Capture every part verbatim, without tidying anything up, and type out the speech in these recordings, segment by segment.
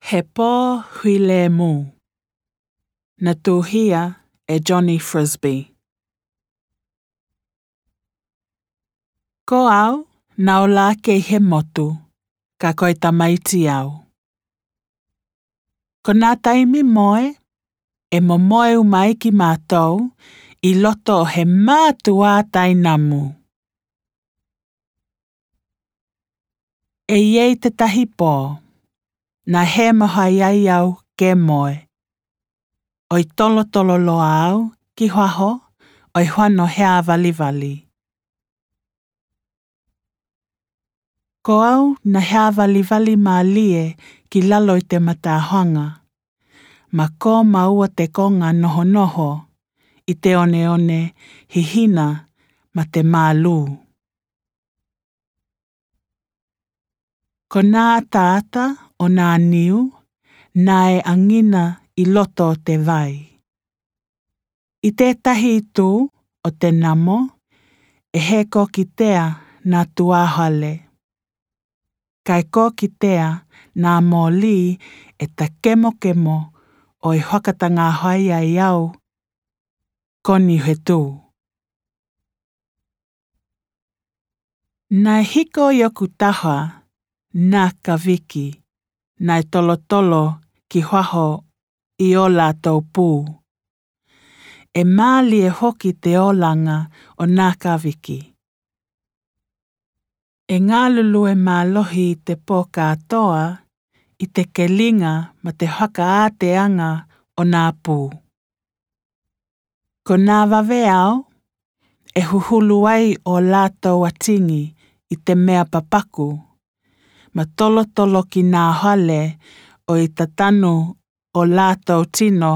He pō huilemū. Natuhia e Johnny Frisbie. Ko au, nau lāke ʻi he motu, ka ko e tamaiti au. Ko nā taimi moe, e momoe uma ai kimatou ʻi loto ʻo he mātuʻa tainamu. ʻE ʻi ai te tahi pō, nā hē mahua ai au ke moe. ʻOi tolotolo loa au ki faho, ʻoi fano heavalivali. Ko au nā heavalivali mālie ki lalo ʻi te matāhoaga. Makō maua te koga nohonoho, ʻi te oneone, hihina, ma te mālū. Ko nā ataata ʻo nā niu, nā e ʻagina ʻi loto ʻo te vai. ʻI te tahi itu ʻo te namo, ʻe hē kōkitea nā tuāhale. Kae kōkitea nā moli ʻe takemokemo ʻoi fakatagahoa ai au ko ni he tū. Nā e hiko ʻi ʻoku taha nā kaviki, nā e tolotolo ki faho ʻi ō lātou pū. ʻE mālie foki te olaga ʻo nā kaviki. ʻE galulue mālohi te pō kātoa ʻi te keliga ma te fakaāteaga ʻo nā pū. Ko nā vave ao, ʻe huhulu ai ō lātou atigi ʻi te mea papaku, ma tolotolo ki nā hale ʻoi tatanu ō lātou tino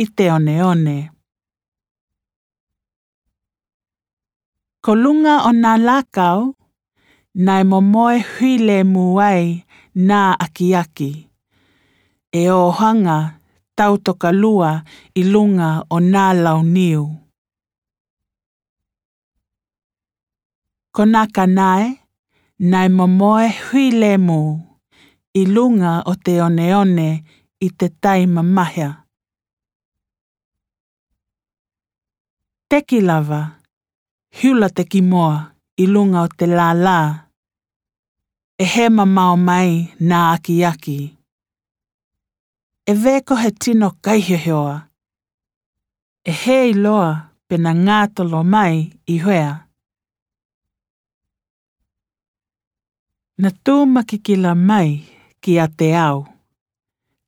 ʻi te oneone. Ko luga ʻo nā lākau, nā e momoe huilemū ai nā akiaki. ʻE ō haga tautoka lua ʻi luga ʻo nā launiu. Ko nā kanae, nā e momoe huilemū ʻi luga ʻo te oneone ʻi te tai mamahi. Teki lava, hiula te kimoa ʻi luga ʻo te lālā. ʻE hē mamao mai nā akiaki. ʻE vē ko he tino kaihiohioa. ʻE hē iloa pe na gātolo mai ʻi hea. Na tū makikila mai kiate au,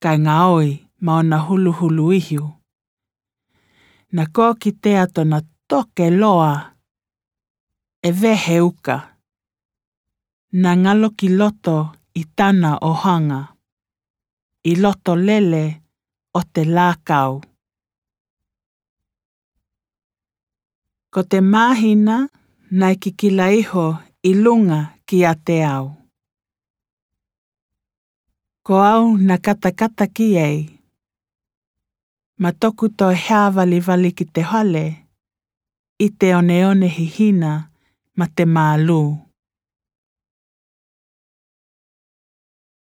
kae gaoi ma ōna huluhulu ihu. Na kōkitea tōna toke loa, ʻe vē he uka. Na galo ki loto ʻi tana ʻohaga, ʻi loto lele ʻo te lākau. Ko te māhina nā e kikila iho ʻi luga kiate au. Ko au nā katakata ki ai. Ma toku toe heavalivali ki te hale, ʻi te oneone hihina ma te mālū.